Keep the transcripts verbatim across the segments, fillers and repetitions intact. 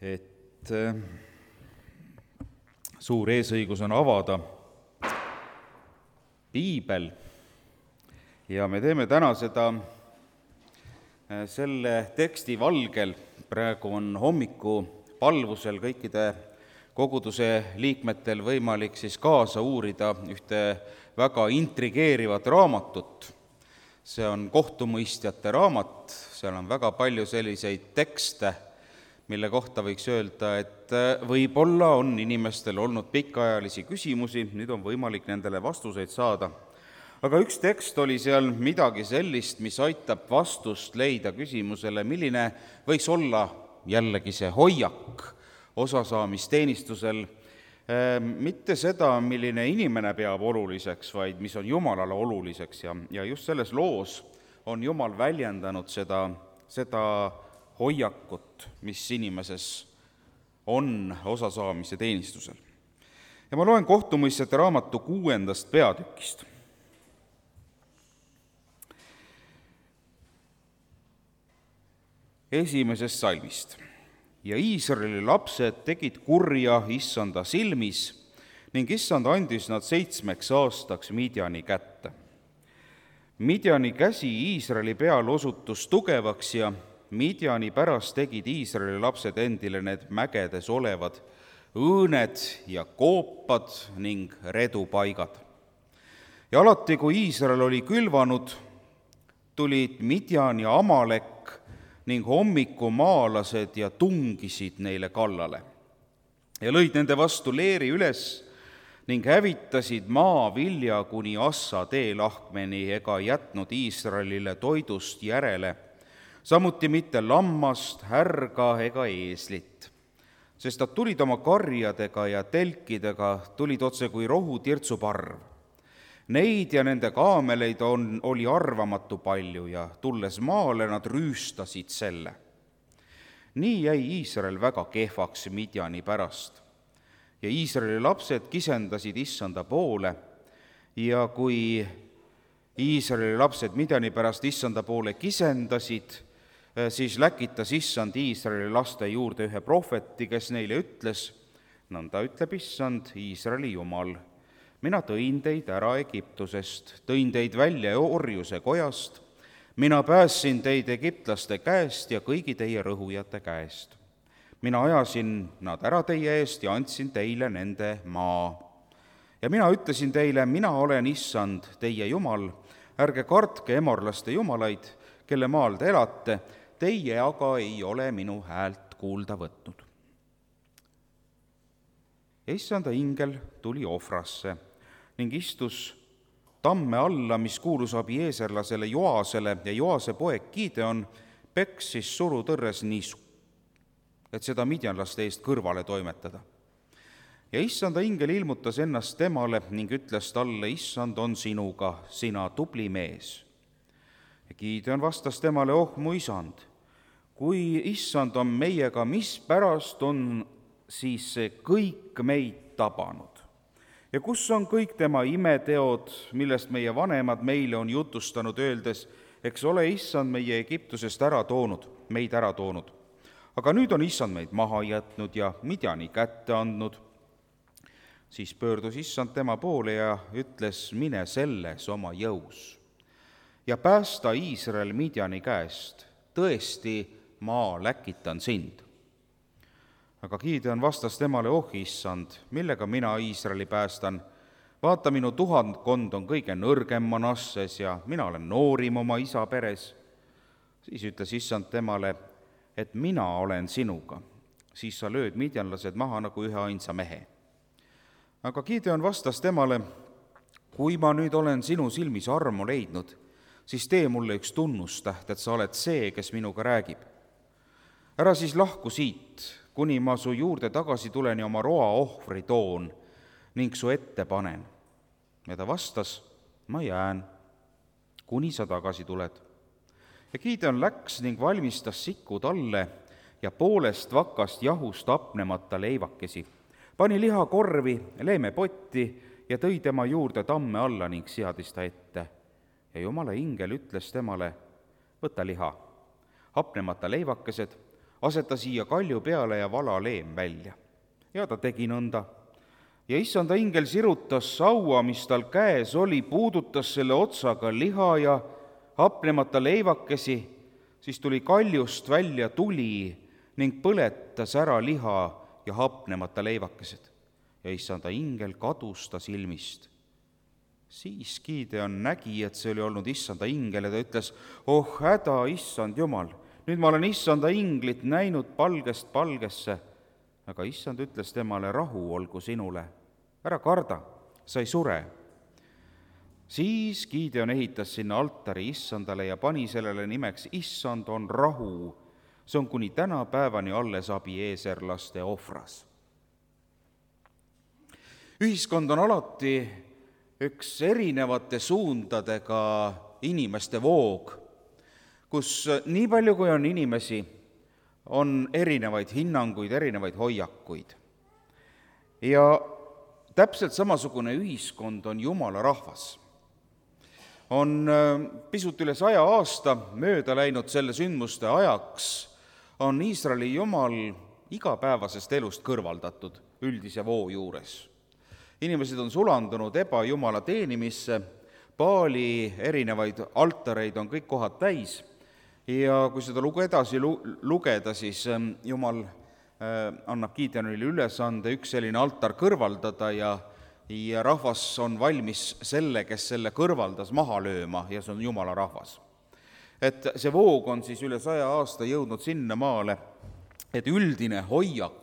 et suur eesõigus on avada piibel ja me teeme täna seda selle teksti valgel. Praegu on hommikupalvusel kõikide koguduse liikmetel võimalik siis kaasa uurida ühte väga intrigeerivat raamatut. See on kohtumõistjate raamat, seal on väga palju selliseid tekste, mille kohta võiks öelda, et võib-olla on inimestel olnud pikaajalisi küsimusi, nüüd on võimalik nendele vastuseid saada. Aga üks tekst oli seal midagi sellist, mis aitab vastust leida küsimusele, milline võiks olla jällegi see hoiak osasaamisteenistusel, mitte seda, milline inimene peab oluliseks, vaid mis on Jumalale oluliseks ja, ja just selles loos on Jumal väljendanud seda, seda hoiakut, mis inimeses on osasaamise teenistusel. Ja ma loen kohtumõistjate raamatu kuuendast peatükist. Esimesest salmist. Ja Iisraeli lapsed tegid kurja Issanda silmis ning Issand andis nad seitsmeks aastaks Midjani kätte. Midjani käsi Iisraeli peal osutus tugevaks ja Midjani pärast tegid Iisraeli lapsed endile need mägedes olevad õõned ja koopad ning redupaigad. Ja alati, kui Iisrael oli külvanud, tulid Midjan ja Amalek ning hommikumaalased ja tungisid neile kallale ja lõid nende vastu leeri üles ning hävitasid maa vilja kuni Assa teelahkmeni ega jätnud Iisraelile toidust järele, samuti mitte lammast, härga ega eeslit, sest nad tulid oma karjadega ja telkidega, tulid otse kui rohu tirtsuparv. Neid ja nende kaameleid on, oli arvamatu palju ja tulles maale nad rüüstasid selle. Nii jäi Iisrael väga kehvaks Midjani pärast ja Iisraeli lapsed kisendasid Issanda poole ja kui Iisraeli lapsed Midjani pärast Issanda poole kisendasid, siis läkitas Issand Iisraeli laste juurde ühe prohveti, kes neile ütles, nõnda ütleb Issand, Iisraeli Jumal, mina tõin teid ära Egiptusest, tõin teid välja orjuse kojast, mina päästsin teid egiptlaste käest ja kõigi teie rõhujate käest. Mina ajasin nad ära teie eest ja andsin teile nende maa. Ja mina ütlesin teile, mina olen Issand, teie Jumal, ärge kartke emorlaste jumalaid, kelle maal te elate, teie aga ei ole minu häält kuulda võtnud. Ja Issanda ingel tuli Ofrasse ning istus tamme alla, mis kuulus abieeserlasele Joasele ja Joase poeg Gideon peksis surutõrres niisu, et seda midjanlaste eest kõrvale toimetada. Ja Issanda ingel ilmutas ennast temale ning ütles talle, Issand on sinuga, sina tubli mees. Ja Gideon vastas temale, oh mu isand, kui Issand on meiega, mis pärast on siis see kõik meid tabanud? Ja kus on kõik tema imeteod, millest meie vanemad meile on jutustanud, öeldes, eks ole Issand meie Egiptusest ära toonud, meid ära toonud. Aga nüüd on Issand meid maha jätnud ja Midjani kätte andnud. Siis pöördus Issand tema poole ja ütles, mine selles oma jõus ja päästa Iisrael Midjani käest, tõesti ma läkitan sind. Aga Gideon vastas temale, oh Issand, millega mina Iisraeli päästan? Vaata, minu tuhandkond on kõige nõrgem Manasses ja mina olen noorim oma isa peres. Siis ütles Issand temale, et mina olen sinuga, siis sa lööd midjanlased maha nagu ühe ainsa mehe. Aga Gideon vastas temale, kui ma nüüd olen sinu silmis armu leidnud, siis tee mulle üks tunnustäht, et sa oled see, kes minuga räägib. Ära siis lahku siit, kuni ma su juurde tagasi tulen ja oma roa ohvri toon ning su ette panen. Ja ta vastas, ma jään, kuni sa tagasi tuled. Ja Gideon läks ning valmistas siku talle ja poolest vakast jahust apnemata leivakesi, pani lihakorvi, leemepotti ja tõi tema juurde tamme alla ning seadis ta ette. Ja Jumala ingel ütles temale, võta liha, hapnemata leivakesed, aseta siia kalju peale ja vala leem välja. Ja ta tegi nõnda. Ja issanda ingel sirutas saua, mis tal käes oli, puudutas selle otsaga liha ja hapnemata leivakesi, siis tuli kaljust välja tuli ning põletas ära liha ja hapnemata leivakesed. Ja issanda ingel kadus ta silmist. Siis Gideon nägi, et see oli olnud issanda ingel ja ta ütles, oh häda, issand Jumal, nüüd ma olen issanda inglit näinud palgest palgesse. Aga issand ütles temale, rahu olgu sinule, ära karda, sa ei sure. Siis Gideon ehitas sinna altari issandale ja pani sellele nimeks issand on rahu. See on kuni tänapäevani alles abieeserlaste ohvras. Ühiskond on alati üks erinevate suundadega inimeste voog, kus nii palju, kui on inimesi, on erinevaid hinnanguid, erinevaid hoiakuid. Ja täpselt samasugune ühiskond on Jumala rahvas. On pisut üle saja aasta mööda läinud selle sündmuste ajaks, on Iisraeli Jumal igapäevasest elust kõrvaldatud üldise voo juures. Inimesed on sulandunud ebajumala teenimisse, Baali erinevaid altareid on kõik kohad täis ja kui seda lugu edasi lugeda, siis Jumal annab Gideonile ülesande üks selline altar kõrvaldada ja, ja rahvas on valmis selle, kes selle kõrvaldas, maha lööma ja see on Jumala rahvas. Et see voog on siis üle saja aasta jõudnud sinna maale, et üldine hoiak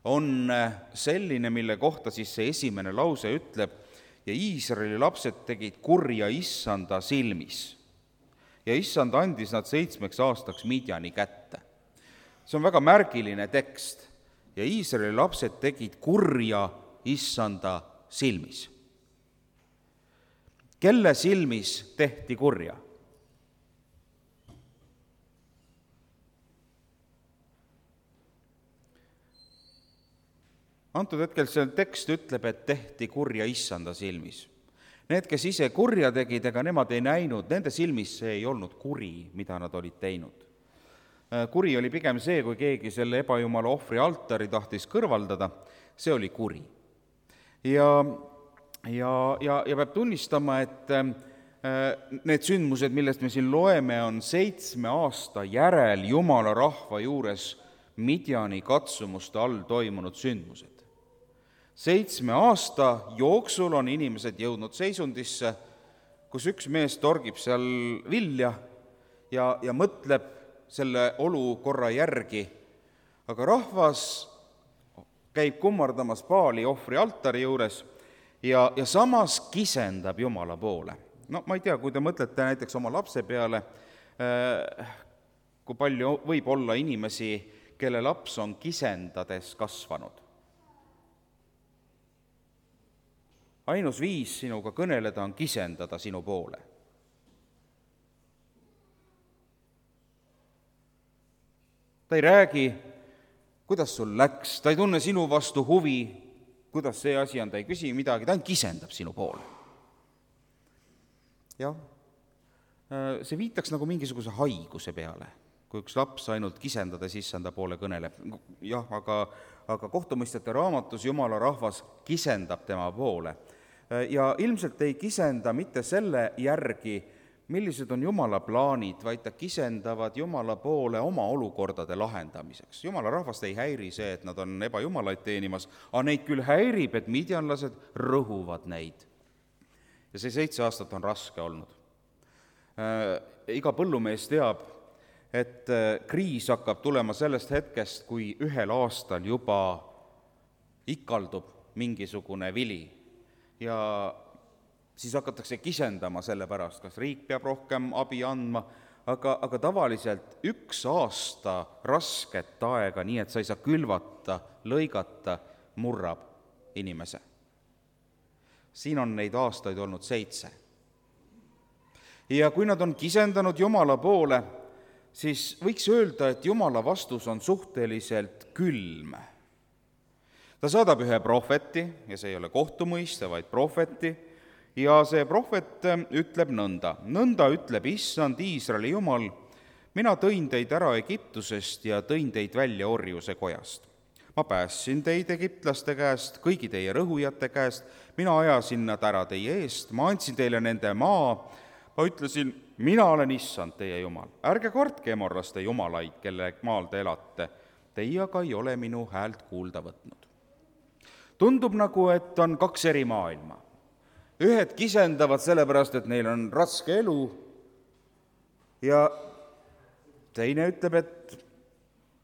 on selline, mille kohta siis see esimene lause ütleb, ja Iisraeli lapsed tegid kurja issanda silmis. Ja issand andis nad seitsmeks aastaks Midjani kätte. See on väga märgiline tekst. Ja Iisraeli lapsed tegid kurja issanda silmis. Kelle silmis tehti kurja? Antud hetkel see tekst ütleb, et tehti kurja issanda silmis. Need, kes ise kurja tegid, ega nemad ei näinud, nende silmis see ei olnud kuri, mida nad olid teinud. Kuri oli pigem see, kui keegi selle ebajumala ohvri altari tahtis kõrvaldada, see oli kuri. Ja, ja, ja, ja peab tunnistama, et need sündmused, millest me siin loeme, on seitsme aasta järel Jumala rahva juures Midjani katsumuste all toimunud sündmused. Seitsme aasta jooksul on inimesed jõudnud seisundisse, kus üks mees torgib seal vilja ja, ja mõtleb selle olukorra järgi, aga rahvas käib kummardamas Baali ohvri altari juures ja, ja samas kisendab Jumala poole. No ma ei tea, kui te mõtlete näiteks oma lapse peale, kui palju võib olla inimesi, kelle laps on kisendades kasvanud. Ainus viis sinuga kõneleda on kisendada sinu poole. Ta ei räägi, kuidas sul läks, ta ei tunne sinu vastu huvi, kuidas see asi on, ta ei küsi midagi, ta kisendab sinu poole. Jah, see viitaks nagu mingisuguse haiguse peale, kui üks laps ainult kisendades issanda poole kõneleb. Jah, aga, aga kohtumõistjate raamatus Jumala rahvas kisendab tema poole. Ja ilmselt ei kisenda mitte selle järgi, millised on Jumala plaanid, vaid ta kisendavad Jumala poole oma olukordade lahendamiseks. Jumala rahvast ei häiri see, et nad on ebajumalaid teenimas, aga neid küll häirib, et midjanlased rõhuvad neid. Ja see seitse aastat on raske olnud. Iga põllumees teab, et kriis hakkab tulema sellest hetkest, kui ühel aastal juba ikaldub mingisugune vili ja siis hakatakse kisendama selle pärast, kas riik peab rohkem abi andma, aga, aga tavaliselt üks aasta rasket aega, nii et sa ei saa külvata, lõigata, murrab inimese. Siin on neid aastaid olnud seitse. Ja kui nad on kisendanud Jumala poole, siis võiks öelda, et Jumala vastus on suhteliselt külm. Ta saadab ühe prohveti, ja see ei ole kohtumõiste, vaid prohveti, ja see prohvet ütleb nõnda. Nõnda ütleb issand Iisraeli Jumal, mina tõin teid ära Egiptusest ja tõin teid välja orjuse kojast. ma päästsin teid egiptlaste käest, kõigi teie rõhujate käest, mina ajasin nad ära teie eest, ma andsin teile nende maa, ma ütlesin, mina olen issand teie jumal. ärge kartke emorlaste jumalaid, kelle maal te elate, teie aga ei ole minu häält kuulda võtnud. Tundub nagu, et on kaks eri maailma. Ühed kisendavad sellepärast, et neil on raske elu ja teine ütleb, et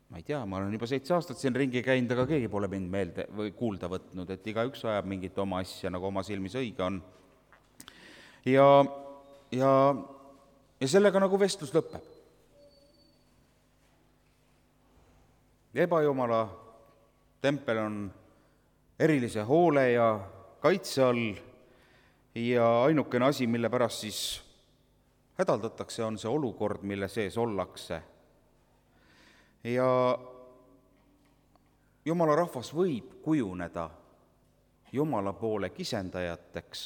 ma ei tea, ma olen juba seitse aastat siin ringi käinud, aga keegi pole mind meelde või kuulda võtnud, et igaüks ajab mingit oma asja, nagu oma silmis õige on. Ja, ja, ja sellega nagu vestlus lõpeb. Ebajumala tempel on erilise hoole ja kaitse all ja ainukene asi, mille pärast siis hädaldatakse, on see olukord, mille sees ollakse. Ja Jumala rahvas võib kujuneda Jumala poole kisendajateks,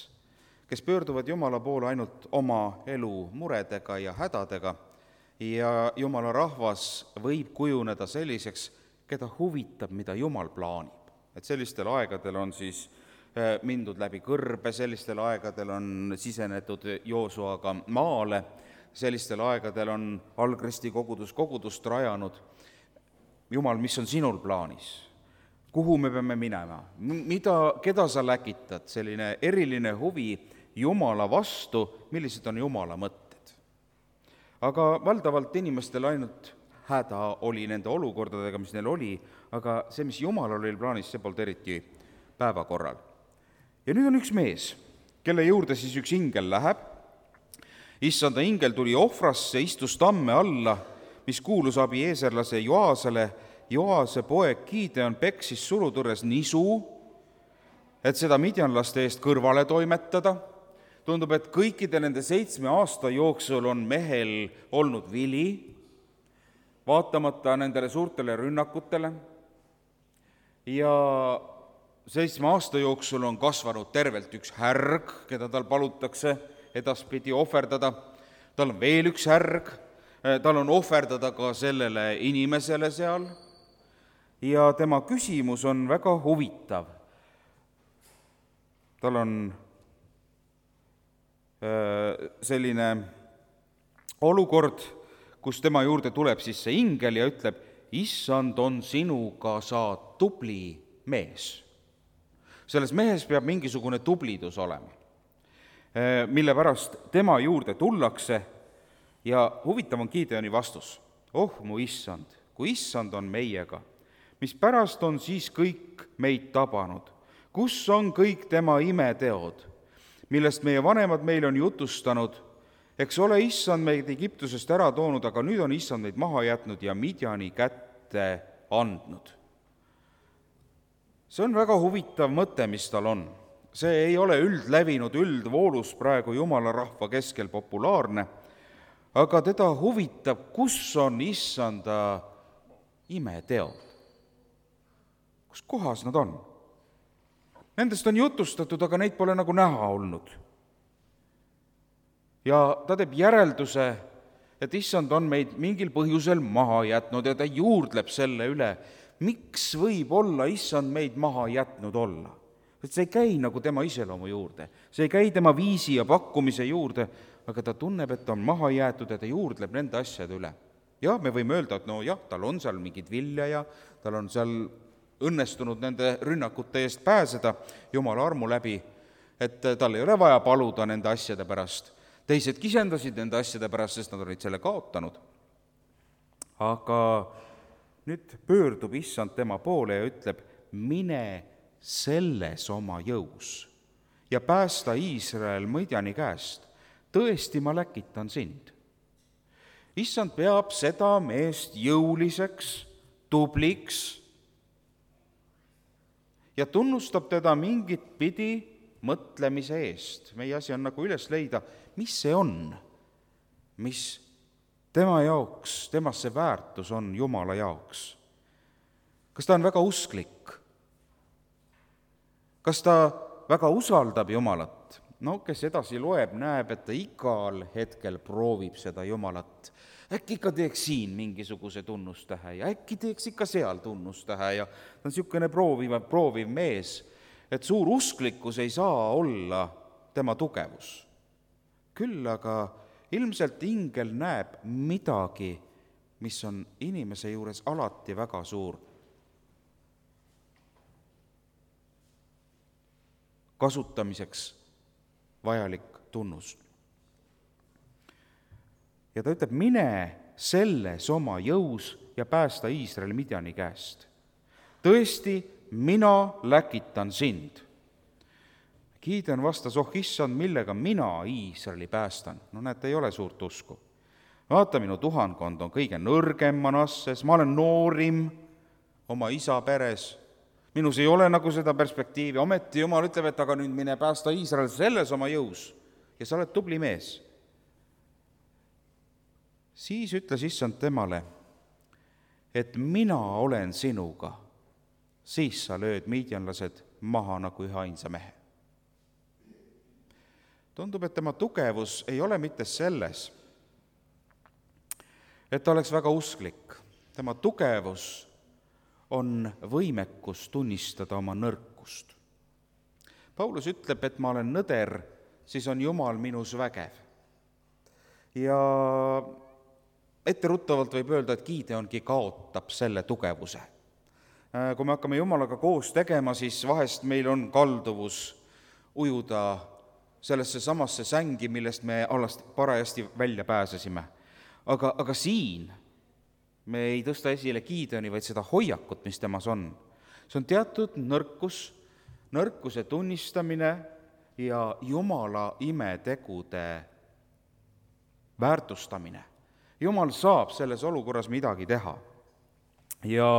kes pöörduvad Jumala poole ainult oma elu muredega ja hädadega, ja Jumala rahvas võib kujuneda selliseks, keda huvitab, mida Jumal plaanib. Et sellistel aegadel on siis mindud läbi kõrbe, sellistel aegadel on sisenetud Joosuaga maale, sellistel aegadel on Algristi kogudus kogudust rajanud. Jumal, mis on sinul plaanis? Kuhu me peame minema? Mida, keda sa läkitad? Selline eriline huvi Jumala vastu, millised on Jumala mõtted. Aga valdavalt inimestel ainult häda oli nende olukordadega, mis neil oli, aga see, mis Jumal oli plaanis, see polnud eriti päevakorral. Ja nüüd on üks mees, kelle juurde siis üks ingel läheb. Issanda ingel tuli ohvrasse, istus tamme alla, mis kuulus abieeserlase Joasele. Joase poeg Gideon peksis surutõrres nisu, et seda midjanlaste eest kõrvale toimetada. Tundub, et kõikide nende seitsme aasta jooksul on mehel olnud vili, vaatamata nendele suurtele rünnakutele. Ja seitsme aasta jooksul on kasvanud tervelt üks härg, keda tal palutakse edaspidi ohverdada. Tal on veel üks härg, tal on ohverdada ka sellele inimesele seal. Ja tema küsimus on väga huvitav. Tal on selline olukord, kus tema juurde tuleb siis see ingel ja ütleb, issand on sinuga, sa tubli mees. Selles mehes peab mingisugune tublidus olema, mille pärast tema juurde tullakse ja huvitav on Gideoni vastus. Oh, mu issand, kui issand on meiega, mis pärast on siis kõik meid tabanud, kus on kõik tema imeteod, millest meie vanemad meile on jutustanud, eks ole issand meid Egiptusest ära toonud, aga nüüd on issand meid maha jätnud ja Midjani kätte andnud. See on väga huvitav mõte, mis tal on. See ei ole üldlevinud, üldvoolus praegu Jumala rahva keskel populaarne, aga teda huvitab, kus on issanda imeteod. Kus kohas nad on? Nendest on jutustatud, aga neid pole nagu näha olnud. Ja ta teeb järelduse, et issand on meid mingil põhjusel maha jätnud ja ta juurdleb selle üle, miks võib olla issand meid maha jätnud olla. Et see ei käi nagu tema iseloomu juurde, see ei käi tema viisi ja pakkumise juurde, aga ta tunneb, et on maha jäetud ja ta juurdleb nende asjade üle. Ja me võime öelda, et no jah, tal on seal mingid vilja ja tal on seal õnnestunud nende rünnakute eest pääseda Jumala armu läbi, et tal ei ole vaja paluda nende asjade pärast. Teised kisendasid nende asjade pärast, sest nad olid selle kaotanud. Aga nüüd pöördub issand tema poole ja ütleb, mine selles oma jõus ja päästa Iisrael Midjani käest. Tõesti, ma läkitan sind. Issand peab seda meest jõuliseks, tubliks ja tunnustab teda mingit pidi mõtlemise eest. Meie asi on nagu üles leida, mis see on, mis tema jaoks, temas see väärtus on Jumala jaoks. Kas ta on väga usklik? Kas ta väga usaldab Jumalat? no kes edasi loeb, näeb, et ta igal hetkel proovib seda Jumalat. Äkki ikka teeks siin mingisuguse tunnustähe ja äkki teeks ikka seal tunnustähe ja ta on niisugune prooviv, prooviv mees, et suur usklikkus ei saa olla tema tugevus. Küll aga ilmselt ingel näeb midagi, mis on inimese juures alati väga suur. Kasutamiseks vajalik tunnus. Ja ta ütleb, mine selles oma jõus ja päästa Iisraeli Midjani käest. Tõesti, mina läkitan sind. Gideon vastas, oh issand, millega mina Iisraeli päästan? No näete, ei ole suurt usku. Vaata, minu tuhankond on kõige nõrgem Manasses, ma olen noorim oma isa peres. Minus ei ole nagu seda perspektiivi, ometi Jumal ütleb, et aga nüüd mine päästa Iisrael selles oma jõus ja sa oled tubli mees. Siis ütles issand temale, et mina olen sinuga, siis sa lööd miidjanlased maha nagu ühe ainsa mehe. Tundub, et tema tugevus ei ole mitte selles, et ta oleks väga usklik. Tema tugevus on võimekus tunnistada oma nõrkust. Paulus ütleb, et ma olen nõder, siis on Jumal minus vägev. Ja etteruttavalt võib öelda, et Gideongi kaotab selle tugevuse. Kui me hakkame Jumalaga koos tegema, siis vahest meil on kalduvus ujuda sellesse samasse sängi, millest me alles parajasti välja pääsesime. Aga, aga siin me ei tõsta esile Gideoni, vaid seda hoiakut, mis temas on. See on teatud nõrkus, nõrkuse tunnistamine ja Jumala imetegude väärtustamine. Jumal saab selles olukorras midagi teha. Ja,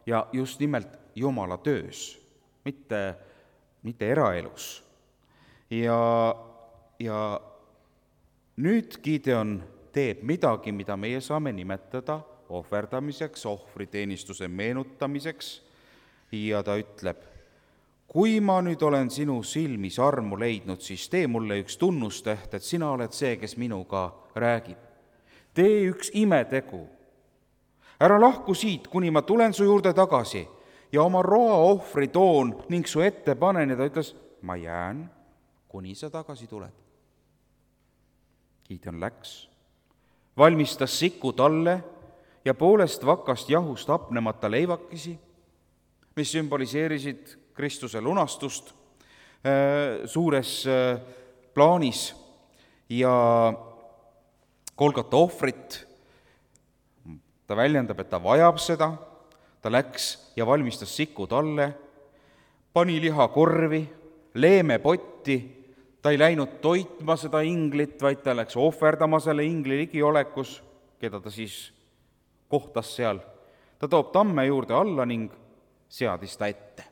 ja just nimelt Jumala töös, mitte, mitte eraelus. Ja, ja nüüd Gideon teeb midagi, mida meie saame nimetada ohverdamiseks, ohvriteenistuse meenutamiseks, ja ta ütleb, kui ma nüüd olen sinu silmis armu leidnud, siis tee mulle üks tunnustäht, et sina oled see, kes minuga räägib. Tee üks imetegu. Ära lahku siit, kuni ma tulen su juurde tagasi ja oma roa ohvri toon ning su ette panen, ja ta ütles, ma jään, kuni sa tagasi tuled. Gideon läks, valmistas siku talle ja poolest vakast jahust hapnemata leivakesi, mis sümboliseerisid Kristuse lunastust suures plaanis ja Golgota ohvrit. Ta väljendab, et ta vajab seda, ta läks ja valmistas siku talle, pani liha korvi, leeme potti, ta ei läinud toitma seda inglit, vaid ta läks ohverdama selle ingli ligiolekus, keda ta siis kohtas seal. Ta toob tamme juurde alla ning seadis ta ette.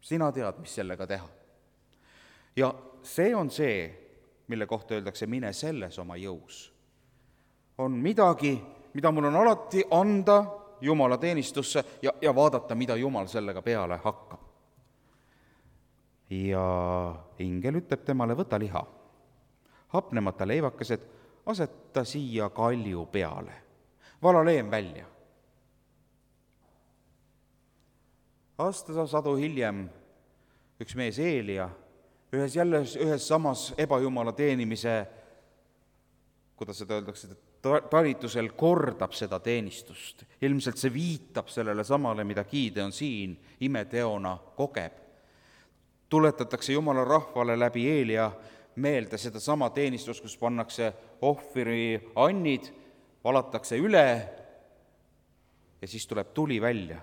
Sina tead, mis sellega teha. Ja see on see, mille kohta öeldakse, mine selles oma jõus. On midagi, mida mul on alati anda Jumala teenistusse ja, ja vaadata, mida Jumal sellega peale hakkab. Ja ingel ütleb temale, võta liha, hapnemata leivakesed, aseta siia kalju peale, vala leem välja. Aasta sadu hiljem üks mees Eelia, ühes jälle ühes samas ebajumala teenimise, kuidas seda öeldakse, talitusel kordab seda teenistust. Ilmselt see viitab sellele samale, mida Gideon siin imeteona kogeb. Tuletatakse Jumala rahvale läbi Eelia meelde seda sama teenistust, kus pannakse ohvri annid, valatakse üle ja siis tuleb tuli välja.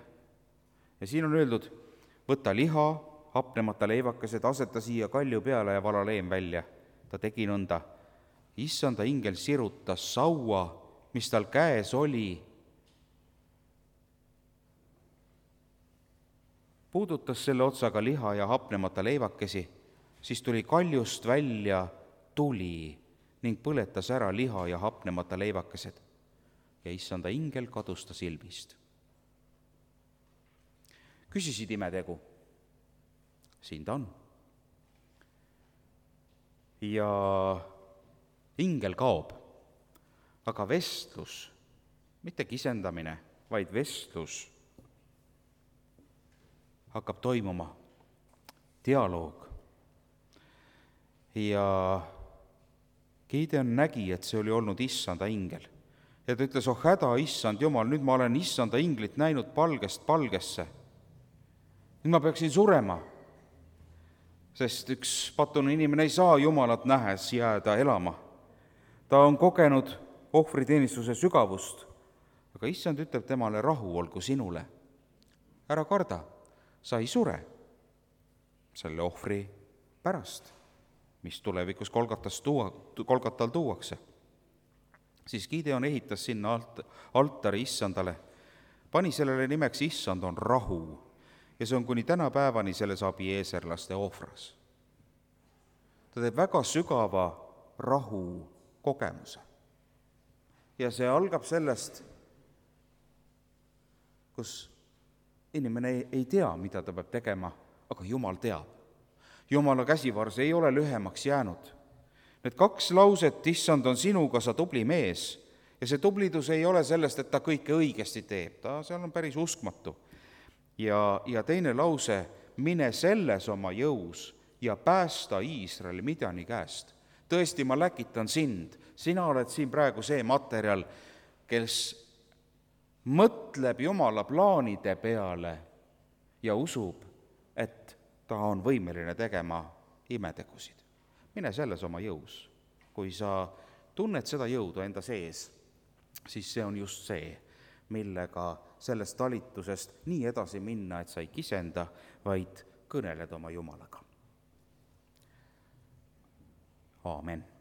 Ja siin on öeldud, võta liha, hapnemata leivakesed, aseta siia kalju peale ja vala leem välja. Ta tegi nõnda. Issanda ingel sirutas saua, mis tal käes oli, puudutas selle otsaga liha ja hapnemata leivakesi, siis tuli kaljust välja tuli ning põletas ära liha ja hapnemata leivakesed. Ja issanda ingel kadus ta silmist. Küsisid imetegu. siin ta on. ja ingel kaob, aga vestlus, mitte kisendamine, vaid vestlus hakkab toimuma, dialoog. ja Gideon nägi, et see oli olnud issanda ingel. Ja ta ütles, oh häda, issand Jumal, nüüd ma olen issanda inglit näinud palgest palgesse. Nüüd ma peaksin surema, sest üks patune inimene ei saa Jumalat nähes jääda elama. Ta on kogenud ohvriteenistuse sügavust, aga issand ütleb temale, rahu olgu sinule. Ära karda, sa ei sure selle ohvri pärast, mis tulevikus Golgatas tuua, Golgatal tuuakse. Siis Gideon ehitas sinna alt, altari issandale, pani sellele nimeks issand on rahu ja see on kuni tänapäevani selles abieeserlaste ohvras. Ta teeb väga sügava rahu kogemuse. Ja see algab sellest, kus inimene ei, ei tea, mida ta peab tegema, aga Jumal teab. Jumala käsivarse ei ole lühemaks jäänud. Need kaks lauset, issand on sinuga, sa tubli mees, ja see tublidus ei ole sellest, et ta kõike õigesti teeb, ta seal on päris uskmatu. Ja, ja teine lause, mine selles oma jõus ja päästa Iisraeli Midjani käest. Tõesti, ma läkitan sind, sina oled siin praegu see materjal, kes mõtleb Jumala plaanide peale ja usub, et ta on võimeline tegema imetegusid. Mine selles oma jõus. Kui sa tunned seda jõudu enda sees, siis see on just see, millega sellest talitusest nii edasi minna, et sa ei kisenda, vaid kõneled oma Jumalaga. Aamen.